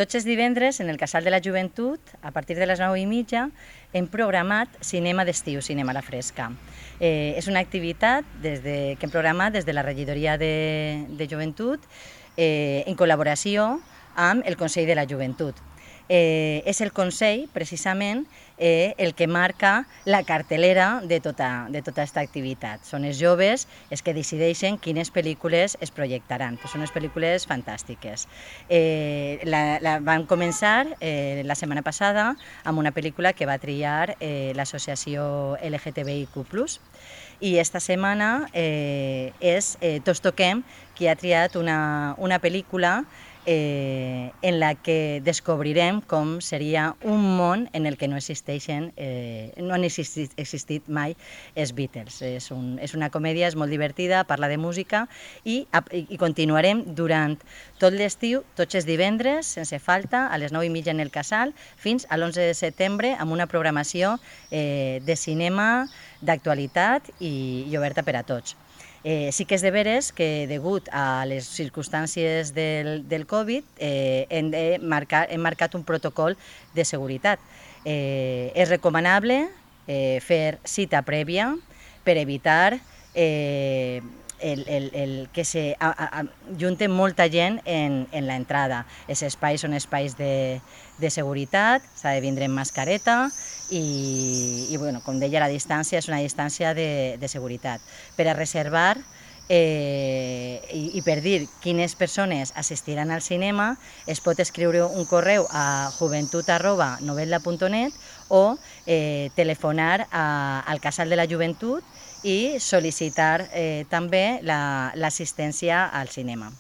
Tots els divendres, en el Casal de la Joventut, a partir de les 9:30, hem programat cinema d'estiu, cinema a la fresca. És una activitat que hem programat des de la regidoria de joventut en col·laboració amb el Consell de la Joventut. És el Consell, precisament, el que marca la cartelera de tota aquesta activitat. Són els joves els que decideixen quines pel·lícules es projectaran. Són unes pel·lícules fantàstiques. Vam començar la setmana passada amb una pel·lícula que va triar l'associació LGTBIQ+, i esta setmana és Tots Toquem qui ha triat una pel·lícula en la que descobrirem com seria un món en el que no han existit mai els Beatles. És una comèdia, és molt divertida, parla de música i continuarem durant tot l'estiu, tots els divendres, sense falta, a les 9:30 en el Casal, fins a l'11 de setembre, amb una programació de cinema, d'actualitat i oberta per a tots. Sí que és de veres que, degut a les circumstàncies del Covid, hem marcat un protocol de seguretat. És recomanable fer cita prèvia per evitar que s'ajunti molta gent en l'entrada. Els espais són espais de seguretat, s'ha de vindre amb mascareta i com deia, la distància és una distància de seguretat. Per a reservar i per dir quines persones assistiran al cinema es pot escriure un correu a joventut@novetla.net o telefonar al Casal de la Joventut i sol·licitar també l'assistència al cinema.